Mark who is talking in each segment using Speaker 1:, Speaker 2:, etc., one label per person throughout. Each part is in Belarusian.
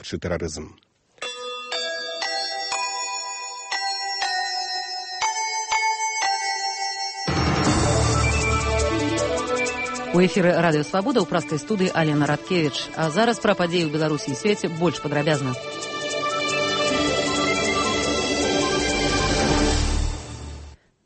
Speaker 1: запобегчы тэрарызм.
Speaker 2: У эфіры радыё Свабода ў праскай студыі Алена Радкевіч. А зараз пра падзеі ў Беларусі і свеце больш падрабязна.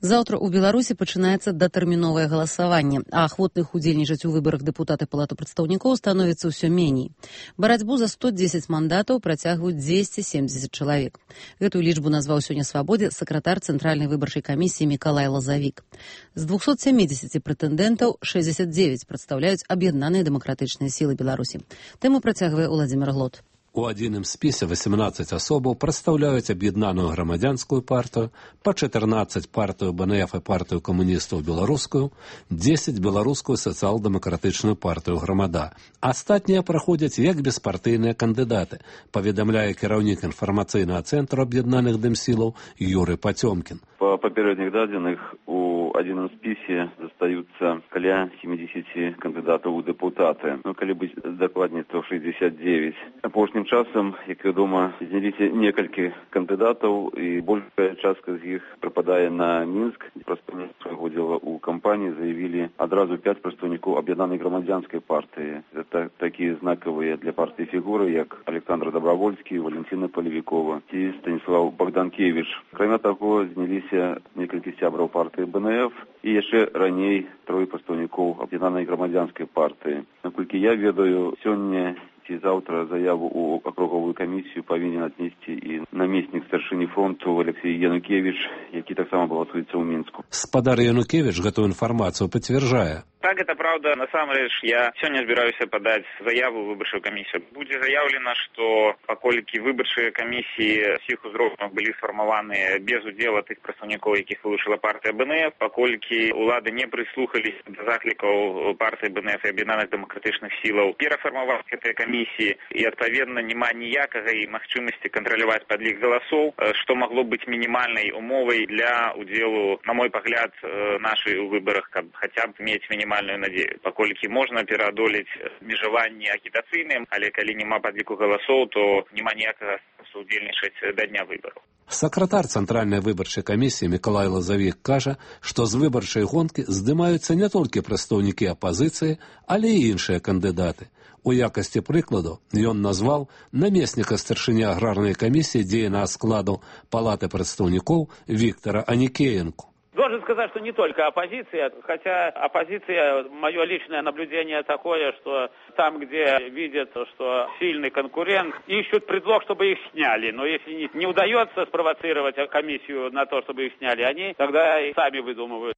Speaker 2: Заўтра ў Беларусі пачынаецца датэрміновае галасаванне, а ахвотных удзельнічаць у выбарах дэпутаты Палаты прадстаўнікоў становіцца ўсё меней. Барацьбу за 110 мандатаў працягваюць 270 чалавек. Гэтую лічбу назваў сёння Свабодзе сакратар Цэнтральнай выбарчай камісіі Мікалай Лазавік. З 270 прэтэндэнтаў 69 прадстаўляюць аб'яднаныя дэмакратычныя сілы Беларусі. Тэму працягвае Уладзімір Глот.
Speaker 3: У адзіным спісе 18 асобаў прадстаўляюць аб'яднаную грамадзянскую партыю, па 14 партыю БНФ і партыю камуністаў беларускую, 10 беларускую сацыял-дэмакратычную партыю грамада. Астатнія праходзяць як беспартыйныя кандыдаты, паведамляе кіраўнік інфармацыйнага цэнтру аб'яднаных дэмсілаў Юрый Пацёмкін.
Speaker 4: По попередних данных у одном списе остаются каля 70 кандидатов у депутаты. Ну, коли быть докладнее, то 69. Апошнім часом, як вядома, зняліся некалькі кандидатов, и большая частка из них пропадает на Минск. Представники своего дела у компании заявили одразу 5 представников объединенной громадянской партии. Это такие знаковые для партии фигуры, как Александр Добровольский, Валентина Полевикова и Станислав Богданкевич. Кроме того, зняліся некалькі сябраў партыі БНФ і яшчэ раней 3 прадстаўнікоў аб'яднанай грамадзянскай партыі. Наколькі я ведаю, сёння ці заўтра заяву ў акруговую камісію павінен аднесці і намеснік старшыні фронту Алексей Янукевич, які таксама балатуецца ў Мінску.
Speaker 3: Спадар Янукевич гэтую інфармацыю пацвярджае.
Speaker 5: Так, это правда. Насамрэч, я сёння збіраюся падаць заяву ў выбарчую камісію. Будзе заяўлена, што паколькі выбарчыя камісіі ўсіх узроўняў былі сфармаваныя без удзела тых прадстаўнікоў, якіх вылучыла партыя БНФ, паколькі ўлады не прыслухаліся да заклікаў партыі БНФ і аб'яднаных дэмакратычных сілаў перафармаваць гэтыя камісіі, і адпаведна няма ніякага і магчымасці кантраляваць падлік галасоў, што магло быць мінімальнай умовай для удзелу, на мой пагляд, нашай у выбарах, каб хаця б мець мінімальную надзею. Паколькі можна пераадолець абмежаванні агітацыйным, але калі няма падліку галасоў, то няма ніякага сэнсу удзельнічаць да дня выбараў.
Speaker 3: Сакратар Цэнтральнай выбарчай камісіі Мікалай Лазавік кажа, што з выбарчай гонкі здымаюцца не толькі прадстаўнікі апазіцыі, але і іншыя кандыдаты. У якасці прыкладу ён назваў намесніка старшыні аграрнай камісіі дзейнага складу Палаты прадстаўнікоў Виктора Аникеенко.
Speaker 6: Должен сказать, что не только оппозиция, хотя оппозиция, мое личное наблюдение такое, что там, где видят, что сильный конкурент, ищут предлог, чтобы их сняли. Но если не удается спровоцировать комиссию на то, чтобы их сняли, они тогда и сами выдумывают.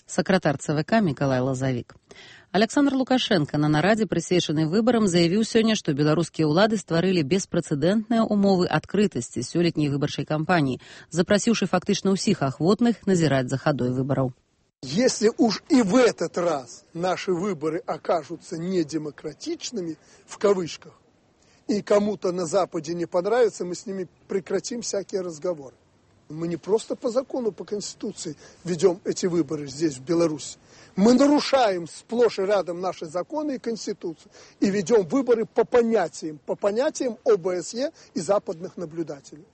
Speaker 2: Сакратар ЦВК Мікалай Лазавік. Александр Лукашенко на нарадзе, прысвечанай выбарам, заявіў сёння, што беларускія ўлады стварылі беспрэцэдэнтныя умовы адкрытасці сёлетняй выбарчай кампаніі, запрасіўшы фактычна ўсіх ахвотных назіраць за хадой выбараў.
Speaker 7: Если уж и в этот раз наши выборы окажутся недемократичными, в кавычках, и кому-то на Западе не понравится, мы с ними прекратим всякие разговоры. Мы не просто по закону, по Конституции ведем эти выборы здесь, в Беларуси. Мы нарушаем сплошь и рядом наши законы и Конституцию и ведем выборы по понятиям ОБСЕ и западных наблюдателей.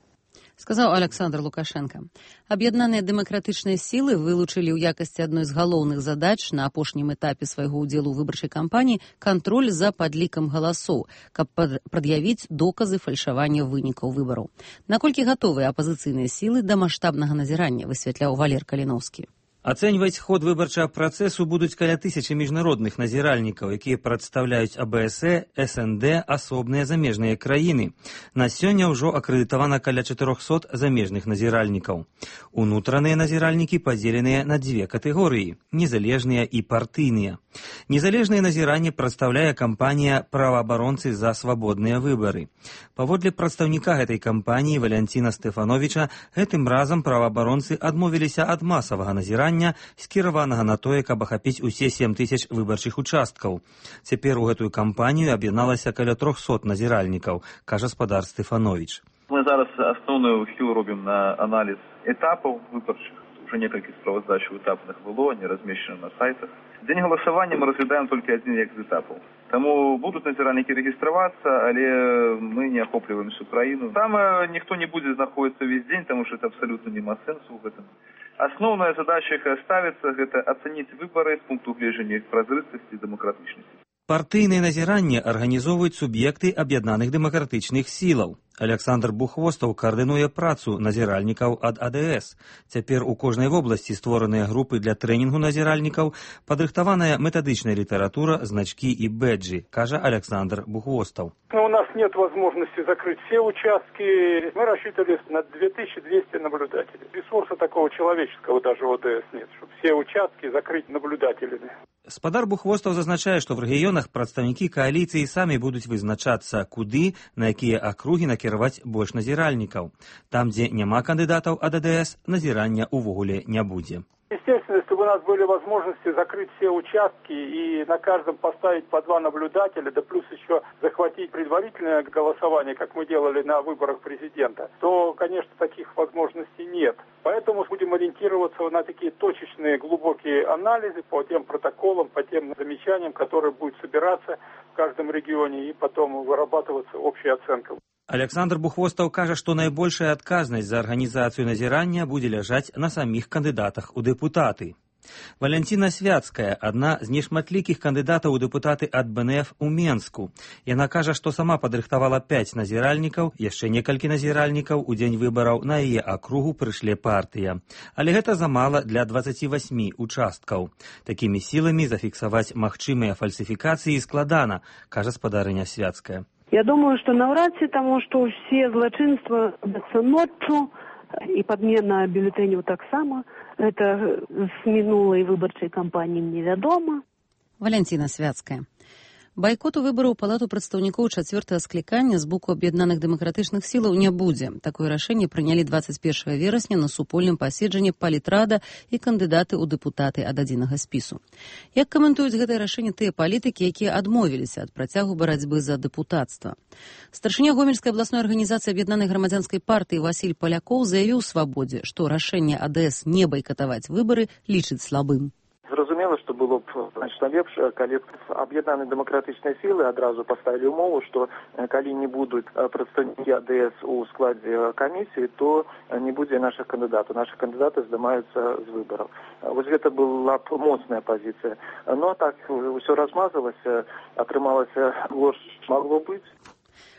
Speaker 2: Сказаў Александр Лукашенко. Аб'яднаныя дэмакратычныя сілы вылучылі ў якасці адной з галоўных задач на апошнім этапе свайго ўдзелу ў выбарчай кампаніі кантроль за падлікам галасоў, каб прад'явіць доказы фальшавання вынікаў выбараў. Наколькі гатовыя апазіцыйныя сілы да маштабнага назірання, высвятляў Валер Каліноўскі.
Speaker 8: Ацэньваць ход выбарчага працэсу будуць каля 1000 міжнародных назіральнікаў, якія прадстаўляюць АБСЕ, СНД, асобныя замежныя краіны. На сёння ўжо акрэдытавана каля 400 замежных назіральнікаў. Унутраныя назіральнікі падзеленыя на 2 катэгорыі – незалежныя і партыйныя. Незалежнае назіранне прадстаўляе кампанія «Праваабаронцы за свабодныя выбары». Паводле прадстаўніка гэтай кампаніі Валянціна Стэфановіча, гэтым разам праваабаронцы адмовіліся ад масавага назірання, скіраванага на тое, каб ахапіць усе 7000 выбарчых участкаў. Цяпер у гэтую кампанію аб'ядналася каля 300 назіральнікаў, кажа спадар Стэфановіч.
Speaker 9: Мы зараз асноўную ўсю робім на аналіз этапаў выбарчых.
Speaker 1: Уже некалькі справаздач этапных было, они размещены на сайтах. День голосования мы разглядаем только один з этапов. Тому будут назиральники регистрироваться, але мы не охопливаем всю Украину. Там никто не будет находиться весь день, потому что это абсолютно нема сенсу в этом. Основная задача их ставится, это оценить выборы с пункту гледжання их прозрыстости и демократичности.
Speaker 8: Партыйныя назіранні арганізоўваюць суб'екты аб'яднаных дэмакратычных сілаў. Александр Бухвостаў каардынуе працу назіральнікаў ад АДС. Цяпер у кожнай вобласці створаныя групы для трэнінгу назіральнікаў, падрыхтаваная метадычная літаратура, значкі і бэджы, кажа Александр Бухвостаў.
Speaker 9: У нас нет возможности закрыть все участки. Мы рассчитывали на 2200 наблюдателей. Ресурса такого человеческого даже в ОДС нет, чтобы все участки закрыть наблюдателями.
Speaker 8: Спадар Бухвостаў зазначае, што в рэгіёнах прадстаўнікі кааліцыі самі будуць вызначацца, куды, на якія акругі накіраваць больш назіральнікаў. Там, дзе няма кандыдатаў ад АДС, назірання ўвогуле не будзе.
Speaker 9: Естественно, если бы у нас были возможности закрыть все участки и на каждом поставить по 2 наблюдателя, да плюс еще захватить предварительное голосование, как мы делали на выборах президента, то, конечно, таких возможностей нет. Поэтому будем ориентироваться на такие точечные, глубокие анализы по тем протоколам, по тем замечаниям, которые будут собираться в каждом регионе и потом вырабатываться общая оценка.
Speaker 8: Александр Бухвостаў кажа, што найбольшая адказнасць за арганізацыю назірання будзе ляжаць на саміх кандыдатах у дэпутаты. Валянціна Свяцкая, адна з нешматлікіх кандыдатаў у дэпутаты ад БНФ у Менску. Яна кажа, што сама падрыхтавала 5 назіральнікаў, яшчэ некалькі назіральнікаў у дзень выбараў на яе акругу прыйшлі партыя. Але гэта замала для 28 участкаў. Такімі сіламі зафіксаваць магчымыя фальсіфікацыі складана, кажа спадарыня Свяцкая.
Speaker 10: Я думаю, что навряд ли, потому что все злочинства ночью и подмена бюллетеней так само. Это с минулой выборчей кампании невядомо.
Speaker 2: Валянціна Свяцкая. Байкоту выбараў у палату прадстаўнікоў 4-го склікання з боку аб'яднаных дэмакратычных сілаў не будзе. Такое рашэнне прынялі 21 верасня на супольным паседжанні палітрада і кандыдаты ў дэпутаты ад адзінага спісу. Як каментуюць гэтае рашэнне тыя палітыкі, якія адмовіліся ад працягу барацьбы за дэпутацтва? Старшыня Гомельскай абласной арганізацыі аб'яднанай грамадзянскай партыі Васіль Палякоў заявіў Свабодзе, што рашэнне АДС не байкатаваць выбары лічыць слабым.
Speaker 11: Зразумела, што было б значна лепш, калі б аб'яднаныя дэмакратычныя сілы адразу паставілі ўмову, што калі не будуць прадстаўнікі АДС у складзе камісіі, то не будзе нашых кандыдатаў. Нашы кандыдаты здымаюцца з выбараў. Вось гэта была б моцная пазіцыя. Но так усё размазалася, атрымалася горш магло быць.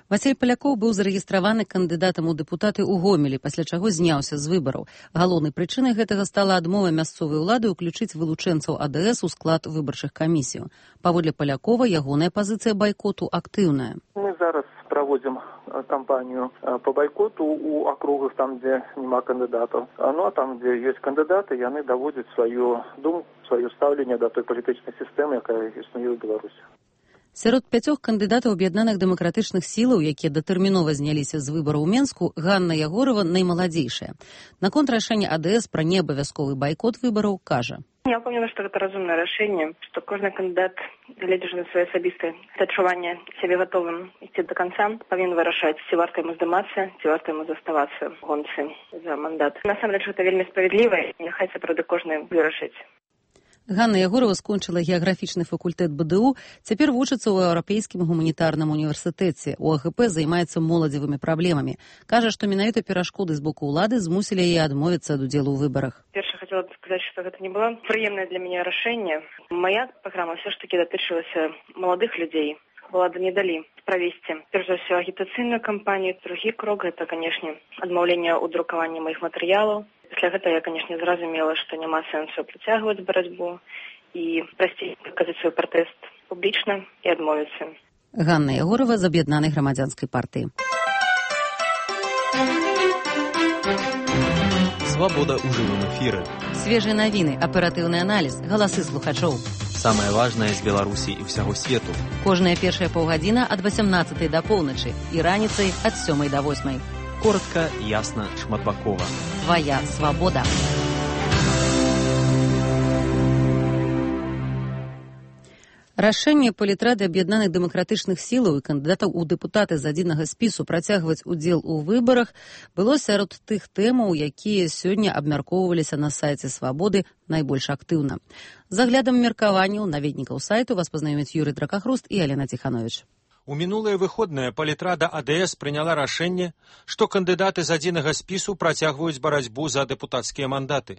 Speaker 2: Васіль Палякоў быў зарэгістраваны кандыдатам у дэпутаты ў Гомелі, пасля чаго зняўся з выбараў. Галоўнай прычынай гэтага стала адмова мясцовай улады ўключыць вылучэнцаў АДС у склад выбарчых камісій. Паводле Палякова, ягоная пазіцыя байкоту актыўная.
Speaker 11: Мы зараз праводзім кампанію по байкоту у акругах, там, дзе няма кандыдатаў. Ну, а там, дзе ёсць кандыдаты, яны даводзяць сваю думку, сваё стаўленне да той палітычнай сістэмы, якая існуе ў Беларусі.
Speaker 2: Сярод 5 кандыдатаў аб'яднаных дэмакратычных сілаў, якія датэрмінова зняліся з выбараў у Менску, Ганна Ягорова наймаладзейшая. Наконт рашэння АДС пра неабавязковы байкот выбараў кажа.
Speaker 12: Я ўпэўнена, што гэта разумнае рашэнне, што кожны кандыдат, гледзячы на свае асабістыя адчуванне сябе гатовым ісці да канца, павінен вырашаць, ці варта яму здымацца, ці варта яму заставацца в гонцы за мандат. Насамрэч, гэта вельмі справядліва, і няхай сапраўды кожны вырашыць.
Speaker 2: Ганна Ягорова скончыла геаграфічны факультэт БДУ, цяпер вучыцца ў Еўрапейскім гуманітарным універсітэце. У АГП займаецца моладзевымі праблемамі. Кажа, што менавіта перашкоды з боку ўлады змусілі яе адмовіцца ад удзелу ў выбарах.
Speaker 12: Перша хацела б сказаць, што гэта не было прыемнае для мяне рашэнне. Моя праграма ўсё ж такі датычылася маладых людзей. Улады не далі правесці, перш за ўсё, агітацыйную кампанію. Другі крок – гэта, канешне, адмаўленне ў друкаванні маіх матэрыялаў. Пасля гэта я, канешне, зразумела, што няма сэнсу працягваць барацьбу і прасцей паказаць свой пратэст публічна і адмовіцца.
Speaker 2: Ганна Ягорова з аб'яднанай грамадзянскай партыі.
Speaker 13: Свабода ў жывым эфіры.
Speaker 2: Свежыя навіны, аператыўны аналіз, галасы слухачоў.
Speaker 13: Самае важнае з Беларусі і ўсяго свету.
Speaker 2: Кожная першая паўгадзіна ад 18 да поўначы і раніцай ад 7 да 8.
Speaker 13: Коротка, ясна, шматбакова.
Speaker 2: Твоя свабода. Рашэнне палітрады аб'яднаных дэмакратычных сілаў і кандыдатаў у дэпутаты з адзінага спісу працягваць удзел у выбарах было сярод тых тэмаў, якія сёння абмяркоўваліся на сайце «Свабоды» найбольш актыўна. З аглядам меркаванняў наведнікаў сайту вас пазнаёмяць Юрый Дракахруст і Алена Ціханович.
Speaker 14: У мінулыя выходныя палітрада АДС прыняла рашэнне, што кандыдаты з адзінага спісу працягваюць барацьбу за дэпутацкія мандаты.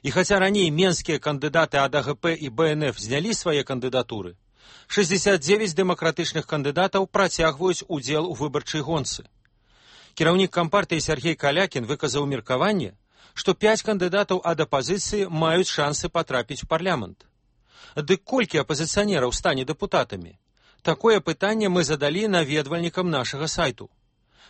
Speaker 14: І хаця раней менскія кандыдаты ад АГП і БНФ знялі свае кандыдатуры, 69 дэмакратычных кандыдатаў працягваюць удзел у выбарчай гонцы. Кіраўнік кампартыі Сергей Калякін выказаў меркаванне, што 5 кандыдатаў ад апазіцыі маюць шансы патрапіць у парламент. Дык колькі апазіцыянераў стане дэпутатамі? Такое пытанне мы задалі наведвальнікам нашага сайту.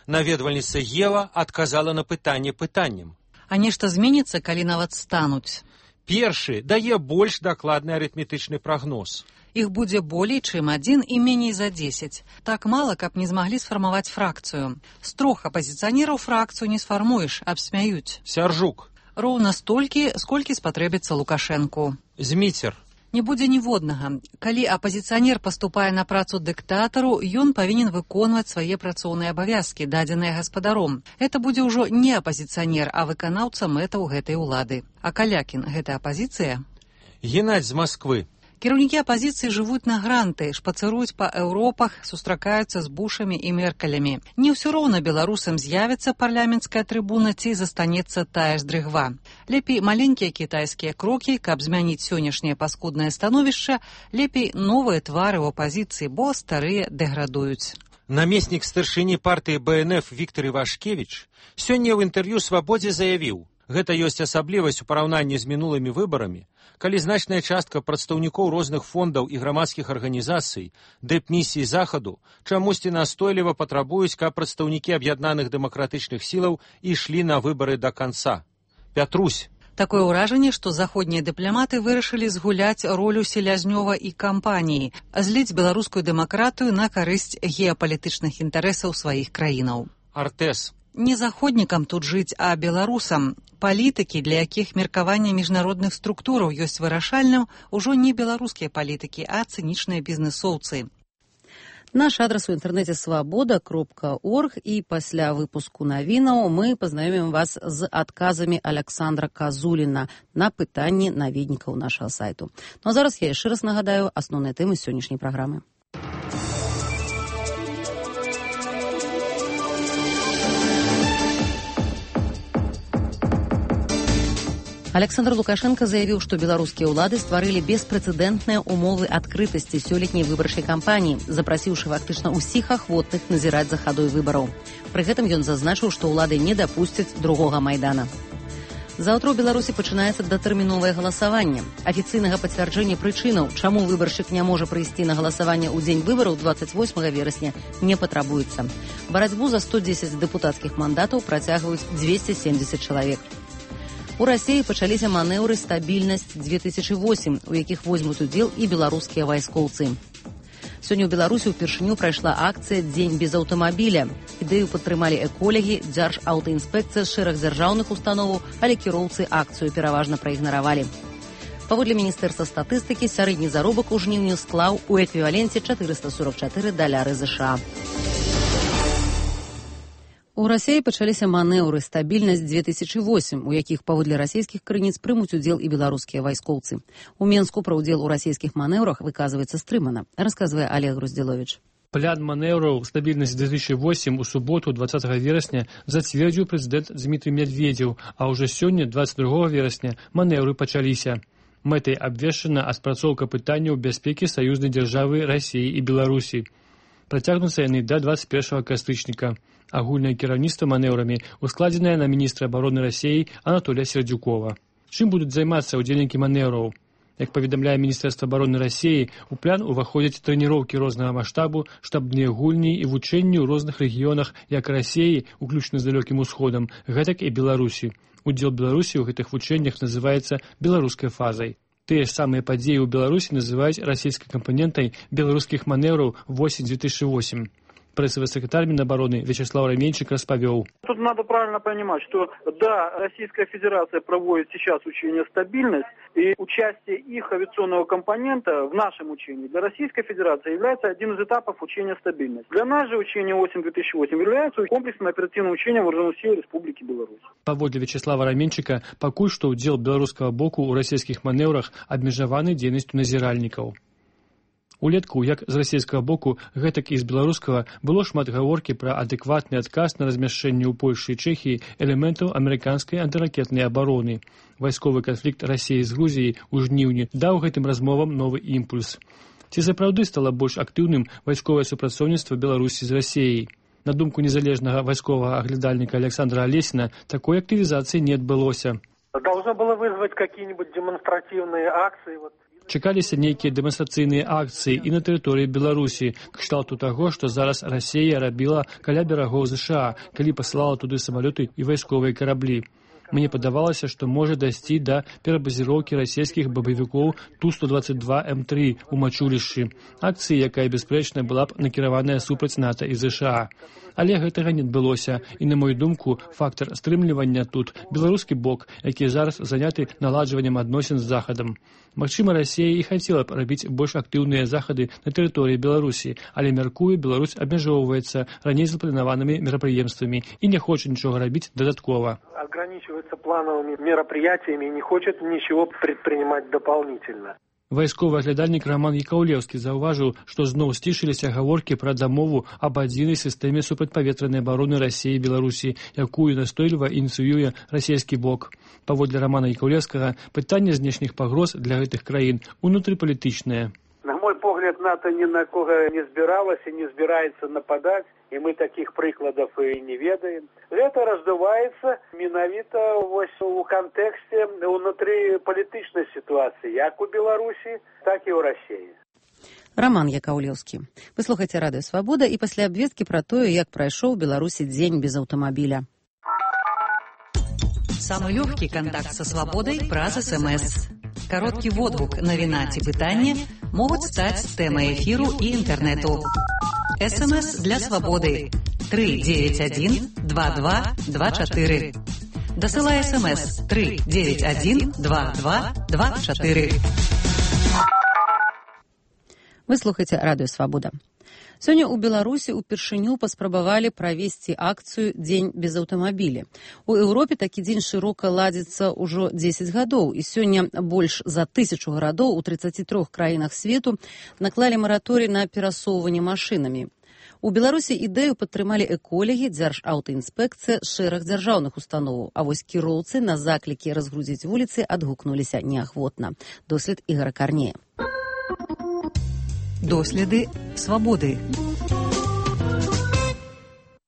Speaker 14: Наведвальніца Ева адказала на пытанне пытаннем.
Speaker 15: А нешта зменіцца, калі нават стануць?
Speaker 14: Першы дае больш дакладны арытметычны прагноз.
Speaker 15: Іх будзе болей, чым 1 і меней за 10. Так мала, каб не змаглі сфармаваць фракцыю. З 3 апазіцыянераў фракцыю не сфармуеш, абсмяюць.
Speaker 14: Сяржук.
Speaker 15: Роўна столькі, сколькі спатрэбіцца Лукашэнку.
Speaker 14: Зміцер.
Speaker 15: Не будзе ніводнага. Калі апазіцыянер паступае на працу дыктатару, ён павінен выконваць свае працоўныя абавязкі, дадзеныя гаспадаром. Гэта будзе ўжо не апазіцыянер, а выканаўца мэтаў гэтай улады. А Калякін – гэта апазіцыя?
Speaker 14: Геннадзь з Масквы.
Speaker 15: Кіраўнікі апазіцыі жывуць на гранты, шпацыруюць па Еўропах, сустракаюцца з Бушамі і Меркалямі. Не ўсё роўна беларусам з'явіцца парламенцкая трыбуна ці застанецца тая ж дрыгва. Лепей маленькія кітайскія крокі, каб змяніць сённяшняе паскуднае становішча, лепей новыя твары ў апазіцыі, бо старыя дэградуюць.
Speaker 14: Намеснік старшыні партыі БНФ Віктор Івашкевіч сёння ў інтэрв'ю «Свабодзе» заявіў, гэта ёсць асаблівасць у параўнанні з мінулымі выбарамі, калі значная частка прадстаўнікоў розных фондаў і грамадскіх арганізацый, дэп-місій захаду, чамусьці настойліва патрабуюць, каб прадстаўнікі аб'яднаных дэмакратычных сілаў ішлі на выбары да канца. Пятрусь.
Speaker 15: Такое ўражанне, што заходнія дыпламаты вырашылі згуляць ролю Селязнёва і кампаніі, зліць беларускую дэмакратыю на карысць геапалітычных інтарэсаў сваіх краінаў.
Speaker 14: Артэс.
Speaker 15: Не заходнікам тут жыць, а беларусам. Палітыкі, для якіх меркаванне міжнародных структураў ёсць вырашальным, ужо не беларускія палітыкі, а цынічныя бізнесоўцы.
Speaker 2: Наш адрас у інтэрнэце свабода.орг і пасля выпуску навінаў мы пазнаёмім вас з адказамі Александра Казуліна на пытанні наведнікаў нашага сайту. Ну а зараз я яшчэ раз нагадаю асноўныя тэмы сённяшняй праграмы. Александр Лукашенко заявіў, што беларускія ўлады стварылі беспрэцэдэнтныя умовы адкрытасці сёлетняй выбарчай кампаніі, запрасіўшы фактычна ўсіх ахвотных назіраць за хадой выбараў. Пры гэтым ён зазначыў, што ўлады не дапусцяць другога Майдана. Заўтра ў Беларусі пачынаецца датэрміновае галасаванне. Афіцыйнага пацвярджэння прычынаў, чаму выбаршчык не можа прыйсці на галасаванне ў дзень выбараў 28 верасня, не патрабуецца. Барацьбу за 110 дэпутацкіх мандатаў працягваюць 270 чалавек. У Расіі пачаліся манеўры «Стабільнасць-2008», у якіх возьмуць удзел і беларускія вайскоўцы. Сёння ў Беларусі ўпершыню прайшла акцыя «Дзень без аўтамабіля». Ідэю падтрымалі эколагі, Дзяржаўтаінспекцыя з шэраг дзяржаўных установаў, але кіроўцы акцыю пераважна праігнаравалі. Паводле Міністэрства статыстыкі, сярэдні заробак у жніўні склаў у эквіваленце $444 США. У Расіі пачаліся манеўры «Стабільнасць-2008», у якіх паводле расійскіх крыніц прымуць удзел і беларускія вайскоўцы. У Менску пра ўдзел у расійскіх манеўрах выказваецца стрымана, расказвае Олег Груздзіловіч.
Speaker 16: План манеўраў «Стабільнасць-2008» у суботу 20 верасня зацвердзіў прэзідэнт Дмітрый Медведзеў, а ўжо сёння, 22 верасня, манеўры пачаліся. Мэтай абвешчана аспрацоўка пытанняў бяспекі саюзнай дзяржавы Расіі і Беларусі. Працягнуцца яны да 21 кастрычніка. Агульнае кіраўніцтва манеўрамі ускладзенае на міністра абароны Расіі Анатолія Сердзюкова. Чым будуць займацца ўдзельнікі манеўраў? Як паведамляе Міністэрства абароны Расіі, у план уваходзяць трэніроўкі рознага маштабу, штабныя гульні і вучэнні ў розных рэгіёнах як Расіі, уключна з далёкім усходам, гэтак і Беларусі. Удзел Беларусі ў гэтых вучэннях называецца беларускай фазай. Тыя ж самыя падзеі ў Беларусі называюць расійскай кампанентай беларускіх манеўраў «Восень-2008». Прэсавы сакратар Мінабароны Вячеслав Раменчик распавёў.
Speaker 9: Тут надо правильно понимать, что да, Российская Федерация проводит сейчас учение «Стабильность», и участие их авиационного компонента в нашем учении для Российской Федерации является одним из этапов учения «Стабильность». Для нас же учение 8-2008 является комплексным оперативным учением Вооруженных сил Республики Беларусь.
Speaker 16: Паводле Вячеслава Раменчика, пакуль што ўдзел беларускага боку ў расійскіх манеўрах абмежаваны дзейнасцю назіральнікаў. Улетку, як з расійскага боку, гэтак і з беларускага, было шмат гаворкі пра адэкватны адказ на размяшчэнне ў Польшы і Чэхіі элементаў амерыканскай антыракетнай абароны. Вайсковы канфлікт Расіі з Грузіяй у жніўні даў гэтым размовам новы імпульс. Ці сапраўды стала больш актыўным вайсковае супрацоўніцтва Беларусі з Расіяй? На думку незалежнага вайсковага аглядальніка Александра Алесіна, такой актывізацыі не адбылося.
Speaker 17: Должно было вызвать какие-нибудь демонстративные акции.
Speaker 16: Чакаліся нейкія дэманстрацыйныя акцыі і на тэрыторыі Беларусі, кшталту таго, што зараз Расія рабіла каля берагоў ЗША, калі пасылала туды самалёты і вайсковыя караблі. Мне падавалася, што можа дайсці да перабазіроўкі расійскіх бабавікоў Ту-122М3 у Мачулішчы. Акцыі, якая бясспрэчна была б накіраваная супраць НАТО і ЗША. Але гэтага не адбылося, і, на мою думку, фактар стрымлівання тут беларускі бок, які зараз заняты наладжваннем адносін з Захадам. Магчыма, Расія і хацела б рабіць больш актыўныя захады на тэрыторыі Беларусі, але, мяркую, Беларусь абмяжоўваецца раней запланаванымі мерапрыемствамі і не хоча нічога рабіць дадаткова.
Speaker 17: Ограничивается плановыми мероприятиями и не хочет ничего предпринимать дополнительно.
Speaker 16: Вайсковы аглядальнік Роман Якаўлеўскі заўважыў, што зноў сцішыліся гаворкі пра дамову аб адзінай сістэме супрацьпаветранай абароны Расіі і Беларусі, якую настойліва ініцыюе расійскі бок. Паводле Романа Якаўлеўскага, пытанне знешніх пагроз для гэтых краін унутрыпалітычнае.
Speaker 17: На мой погляд, НАТО ни на кого не збіралась и не збираецца нападать, и мы таких прикладов и не ведаем. Это раздувается менавіта у контексте внутрипалітычной ситуации, як у Беларуси, так и у России.
Speaker 2: Роман Якаўлеўскі. Вы слухаеце радыё «Свабода» і пасля абвесткі пра тое, як прайшоў у Беларусі дзень без аўтамабіля.
Speaker 15: Самый легкий контакт со свободой праз СМС. Короткий водгук, навіна ці пытанне могуць стаць тэмай эфіру і інтэрнэту. СМС для свободы 391-2224. Дасылай СМС 391-2224.
Speaker 2: Вы слухаеце радыё «Свабода». Сёння ў Беларусі ўпершыню паспрабавалі правесці акцыю «Дзень без аўтамабіля». У Еўропе такі дзень шырока ладзіцца ўжо 10 гадоў, і сёння больш за 1000 гарадоў у 33 краінах свету наклалі мараторый на перасоўванне машынамі. У Беларусі ідэю падтрымалі эколагі, дзяржаўтаінспекцыя, шэраг дзяржаўных установаў, а вось кіроўцы на заклікі разгрузіць вуліцы адгукнуліся неахвотна. Дослед Ігора Карнея.
Speaker 15: Доследы свабоды.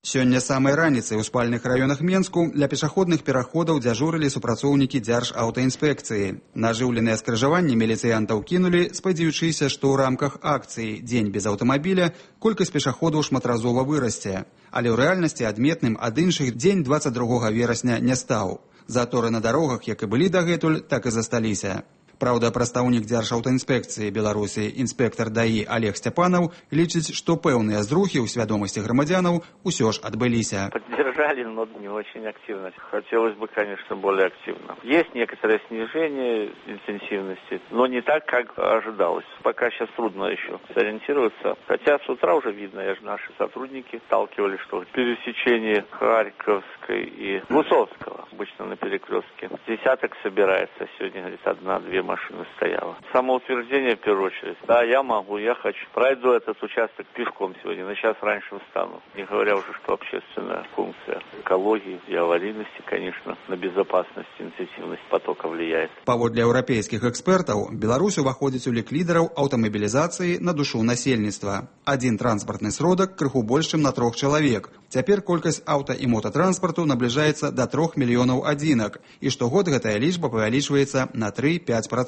Speaker 18: Сёння самай раніцай у спальных раёнах Менску для пешаходных пераходаў дзяжурылі супрацоўнікі дзяржаўтаінспекцыі. На ажыўленыя скрыжаванні міліцыянтаў кінулі, спадзяючыся, што ў рамках акцыі «Дзень без аўтамабіля» колькасць пешаходаў шматразова вырасце. Але ў рэальнасці адметным ад іншых дзень 22 верасня не стаў. Заторы на дарогах, як і былі дагэтуль, так і засталіся. Праўда, прадстаўнік дзяржаўтаінспекцыі Беларусі інспектар ДАІ Олег Степанов лічыць, што пэўныя зрухі ў свядомасці грамадзянаў усё ж адбыліся.
Speaker 19: Поддержали, но не очень активно. Хотелось бы, конечно, более активно. Есть некоторое снижение интенсивности, но не так, как ожидалось. Пока сейчас трудно еще сориентироваться. Хотя с утра уже видно, наши сотрудники сталкивались, что пересечение Харьковской и Гусовского, обычно на перекрестке, десяток собирается. Сегодня, говорит, 1-2 машины стояло. Самоутверждение в первую очередь. Да, я могу, я хочу. Пройду этот участок пешком сегодня, на час раньше встану. Не говоря уже, что общественная функция экологии и аварийности, конечно, на безопасность, интенсивность потока влияет.
Speaker 18: Паводле еўрапейскіх экспертаў, Беларусь уваходзіць у лік лідараў аўтамабілізацыі на душу насельніцтва. Адзін транспартны сродак крыху больш, чым на 3 чалавек. Цяпер колькасць аўта і мотатранспарту набліжаецца да 3 мільёнаў адзінак, і штогод гэтая лічба павялічваецца на 3-5%.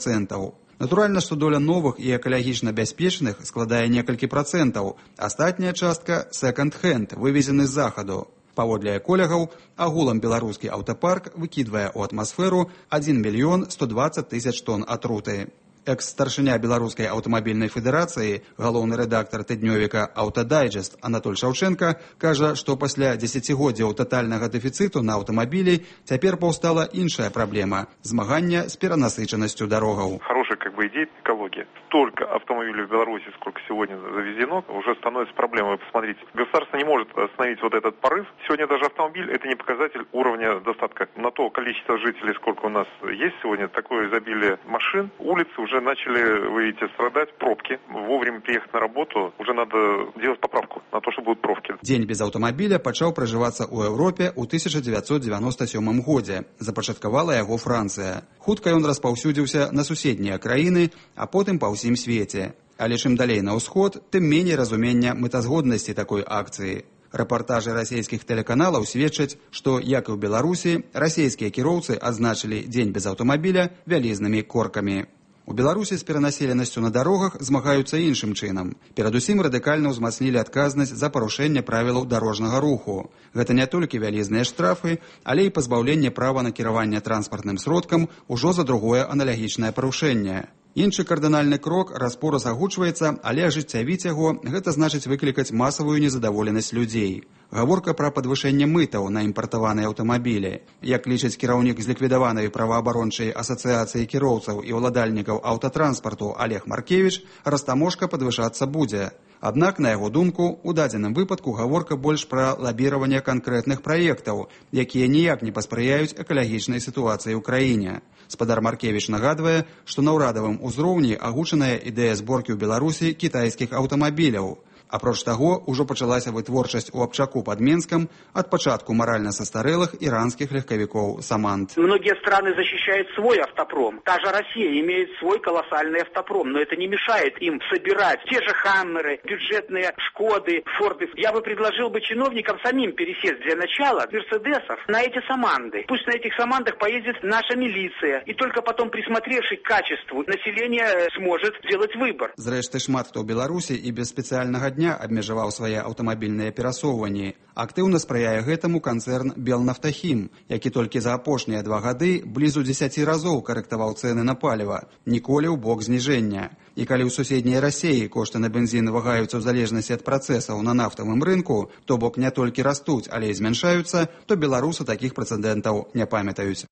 Speaker 18: Натуральна, што доля новых і экалагічна бяспечных складае некалькі працэнтаў. Астатняя частка – секонд-хенд, вывезены з захаду. Паводле эколагаў, агулам беларускі аўтапарк выкідвае ў атмасферу 1 120 000 тонн атруты. Экс-старшыня Беларускай аўтамабільнай федэрацыі, галоўны рэдактар тыднёвіка «Аўтадайджэст» Анатоль Шаўчэнка кажа, што пасля дзесяцігоддзяў татальнага дэфіцыту на аўтамабілі цяпер паўстала іншая праблема – змагання с перенасычанностью дорогаў.
Speaker 20: Хорошая идея экологии. Столько автомобилей в Беларуси, сколько сегодня завезено, уже становится проблемой. Посмотрите, государство не может остановить вот этот порыв. Сегодня даже автомобиль – это не показатель уровня достатка. На то количество жителей, сколько у нас есть сегодня, такое изобилие машин, улицы уже начали, вы видите, страдать, пробки. Вовремя приехать на работу, уже надо делать поправку на то, что будут пробки.
Speaker 18: Дзень без аўтамабіля пачаў пражывацца ў Еўропе ў 1997 годзе. Запачаткавала яго Францыя. Хутка ён распаўсюдзіўся на суседнія краіны, а потым па ўсім свеце. Але чым далей на ўсход, тым меней разумення мэтазгоднасці такой акцыі. Рэпартажы расійскіх тэлеканалаў сведчаць, што, як і ў Беларусі, расійскія кіроўцы адзначылі дзень без аўтамабіля вялізнымі коркамі. У Беларусі з перанаселенасцю на дарогах змагаюцца іншым чынам. Перадусім радыкальна ўзмацнілі адказнасць за парушэнне правілаў дарожнага руху. Гэта не толькі вялізныя штрафы, але і пазбаўленне права на кіраванне транспартным сродкам ужо за другое аналагічнае парушэнне. Іншы кардынальны крок раз-пораз агучваецца, але ажыццявіць яго – гэта значыць выклікаць масавую незадаволенасць людзей. Гаворка пра падвышэнне мытаў на імпартаваныя аўтамабілі. Як лічыць кіраўнік зліквідаванай праваабарончай асацыяцыі кіроўцаў і ўладальнікаў аўтатранспарту Олег Маркевіч, растаможка падвышацца будзе. Аднак, на яго думку, у дадзеным выпадку гаворка больш пра лабіраванне канкрэтных праектаў, якія ніяк не паспрыяюць экалагічнай сітуацыі ў краіне. Спадар Маркевіч нагадвае, што на ўрадавым узроўні агучаная ідэя зборкі ў Беларусі кітайскіх аўтамабіляў. Апроч таго, ужо пачалася вытворчасць у Абчаку пад Менскам ад пачатку маральна састарэлых иранских легковиков «Самант».
Speaker 21: Многие страны защищают свой автопром. Та же Россия имеет свой колоссальный автопром, но это не мешает им собирать те же «Хаммеры», бюджетные «Шкоды», «Форды». Я бы предложил бы чиновникам самим пересесть для начала «Мерседесов» на эти «Саманты». Пусть на этих «Самантах» поездит наша милиция, и только потом, присмотревшись к качеству, население сможет сделать выбор.
Speaker 18: Зрэшты, шмат хто ў Беларусі і без спецыяльнага дня абмежаваў свае аўтамабільныя перасоўванні. Актыўна спрыяе гэтаму канцэрн «Белнафтахім», які толькі за апошнія 2 гады блізу 10 разоў карэктаваў цэны на паліва, ніколі ў бок зніжэння. І калі ў суседняй Расіі кошты на бензін вагаюцца ў залежнасці ад працэсаў на нафтавым рынку, то бок не толькі растуць, але і змяншаюцца, то беларусы такіх прэцэдэнтаў не памятаюць.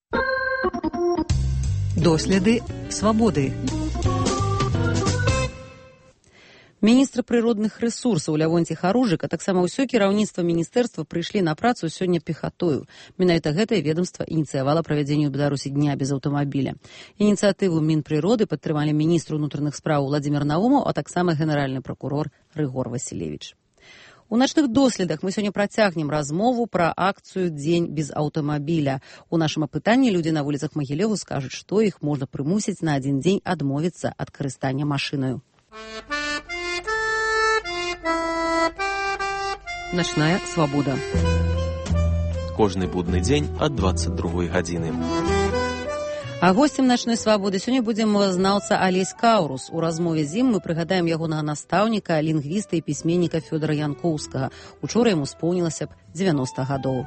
Speaker 15: Доследы свабоды.
Speaker 2: Міністр прыродных рэсурсаў Лявонцій Харужык, а таксама ўсё кіраўніцтва міністэрства прыйшлі на працу сёння пехатою. Менавіта гэтае ведомства ініцыявала правядзенне ў Беларусі дня без аўтамабіля. Ініцыятыву Мінпрыроды падтрымалі міністр унутраных спраў Владзімір Наумаў, а таксама генеральны пракурор Рыгор Васілевіч. У начных доследах мы сёння працягнем размову пра акцыю «Дзень без аўтамабіля». У нашым апытанні людзі на вуліцах Магілёву скажуць, што іх можна прымусіць на адзін дзень адмовіцца ад карыстання машынаю. Начная свабода.
Speaker 13: Кожны будны дзень ад 22 гадзіны.
Speaker 2: А госцем начной свабоды сёння будзе мовазнаўца Алесь Каўрус. У размове з ім мы прыгадаем ягонага настаўніка, лінгвіста і пісьменніка Фёдора Янкоўскага. Учора яму споўнілася б 90 гадоў.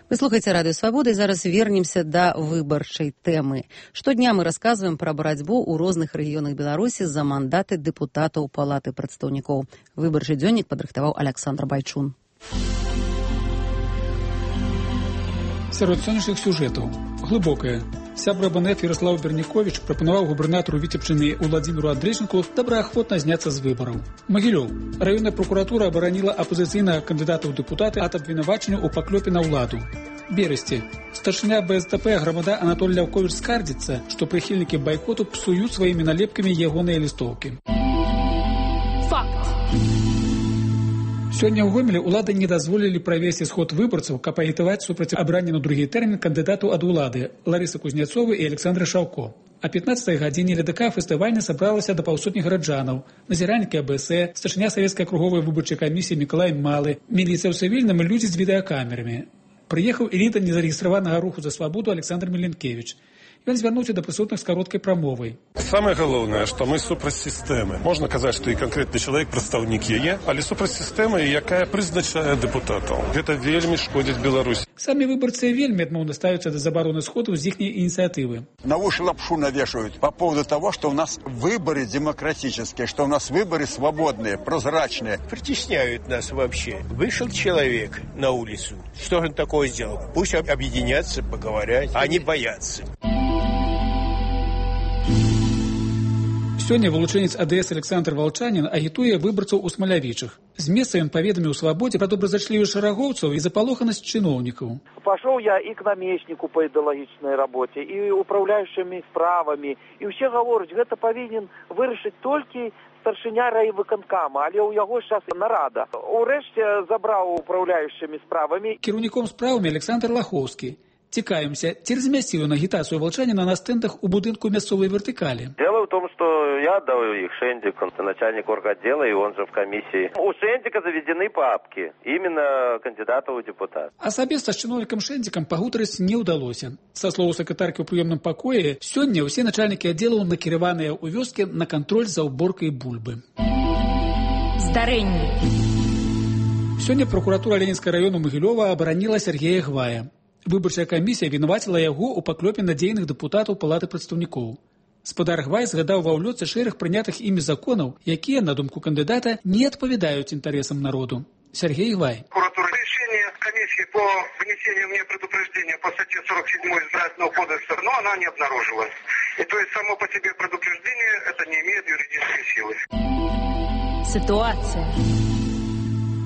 Speaker 2: Вы слухаеце радыё «Свабода» і зараз вернемся да выбарчай тэмы. Штодня мы расказваем пра барацьбу ў розных рэгіёнах Беларусі за мандаты дэпутатаў Палаты прадстаўнікоў. Выбарчы дзённік падрыхтаваў Александр Байчун.
Speaker 22: Сярод сённяшніх сюжэтаў глыбокая. Сябра БНФ Ярослав Берніковіч прапанаваў губернатару Віцебчыны Уладзіміру Андрейченку добраахвотна зняцца з выбараў. Магілёў. Раённая прокуратура абараніла апазіцыйнага кандыдата ў дэпутаты ад абвінавачання ў паклёпе на ўладу. Берасці. Старшыня БСТП грамада Анатоль Ляўковіч скардзіцца, што прыхільнікі байкоту псуюць сваімі налепкамі ягоныя лістоўкі.
Speaker 23: Факт.
Speaker 22: Сёння ў Гомелі ўлады не дазволілі правесці сход выбарцаў, каб агітаваць супраць абрання на другі тэрмін кандыдатаў ад улады Ларысы Кузнецовай і Александры Шаўко. А 15 гадзіне ЛДК фестывальна сабралася да паўсотні гараджанаў, назіральнікі АБС, старшыня савецкай акруговай выбарчай камісіі Мікалай Малы, міліцыя ў цывільным і людзі з відэакамерамі. Прыехаў эліта незарэгістраванага руху за свабоду Александр Міленкевіч. Ён звярнуўся да прысутных з кароткай прамовай.
Speaker 3: Самае галоўнае, што мы супраць сістэмы. Можна казаць, што і канкрэтны чалавек прадстаўнік яе, але супраць сістэмы, якая прызначае дэпутатаў. Гэта вельмі шкодзіць Беларусі.
Speaker 22: Самі выбарцы вельмі адмоўна ставяцца да забароны сходу з іхняй ініцыятывы.
Speaker 4: На уши лапшу навешивают по поводу того, что у нас выборы демократические, что у нас выборы свободные, прозрачные.
Speaker 5: Притесняют нас вообще. Вышел человек на улицу. Что же он такое сделал? Пусть объединятся, поговорят, а не боятся.
Speaker 22: Сёння вылучэнец АДС Александр Волчанин агітуе выбарцаў у Смалявічах. З месца ён паведаміў Свабодзе пра добразычлівасць шарагоўцаў і запалоханасць чыноўнікаў.
Speaker 24: Пошел я и к наместнику по идеологической работе, и управляющими справами, и все говорят, это повинен вырашить только старшыня райвыканкама, але у яго сейчас нарада. Урэшце забраў управляющими справами.
Speaker 22: Кіраўніком справамі Александр Лахоўскі. Цікавимся, ці размясціў ён агітацыю Волчаніна на стэндах у будынку мясцовай вертыкалі?
Speaker 25: Дело в том, что я отдал их Шендику, начальник орготдела, и он же в комиссии. У Шендика заведены папки, именно кандидата в депутат.
Speaker 22: Асабіста з чыноўнікам Шэндзікам пагутарыць не ўдалося. Са слоў сакратаркі ў прыёмным пакоі, сёння ўсе начальнікі аддзелаў накіраваныя ў вёскі на кантроль за ўборкай бульбы.
Speaker 23: Здарэнне.
Speaker 22: Сёння прокуратура Ленінскага раёну Магілёва абараніла Сергея Гвая. Выбарчая камісія вінаваціла яго ў паклёпе на дзейных дэпутатаў Палаты прадстаўнікоў. Спадар Гвай згадаў ва ўлётцы шэраг прынятых імі законаў, якія, на думку кандыдата, не адпавядаюць інтарэсам народу. Сергей Гвай.
Speaker 26: Решение комиссии по внесению мне предупреждения по статье 47 избирательного кодекса, но она не обнаружилась. И то есть само по себе предупреждение это не имеет юридической силы.
Speaker 23: Ситуация.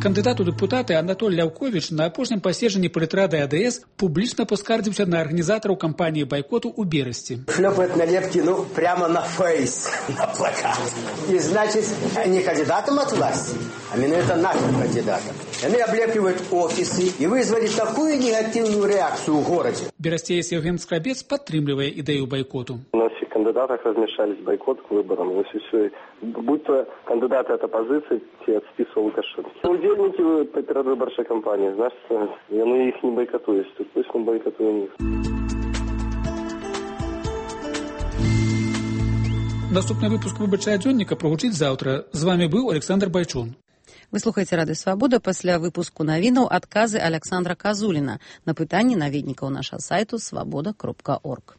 Speaker 22: Кандыдат у дэпутаты Анатоль Ляўковіч на апошнім паседжанні палітрады АДС публічна паскардзіўся на арганізатараў кампаніі байкоту ў Берасці.
Speaker 27: Шлёпает налепки, прямо на фейс, на плакат. И значит, не кандидатом от власти, а именно это нашим кандидатом. Они облепливают офисы и вызвали такую негативную реакцию в городе.
Speaker 22: Берасцеец Евген Скрабец падтрымлівае ідэю байкоту.
Speaker 28: На всех кандидатах размешались бойкот к выборам. Если все, будь то кандидаты от оппозиции, те от списка Лукашенко. Удельники предвыборчей кампании, значит, они их не бойкотуют. Пусть мы бойкотуем их.
Speaker 22: Наступны выпуск выбарчага дзённіка прагучыць заўтра. З вами быў Александр Байчун.
Speaker 2: Вы слухаеце Радыё Свабода. Пасля выпуску навінаў адказы Александра Казуліна на пытанні наведнікаў нашага сайту свабода.орг.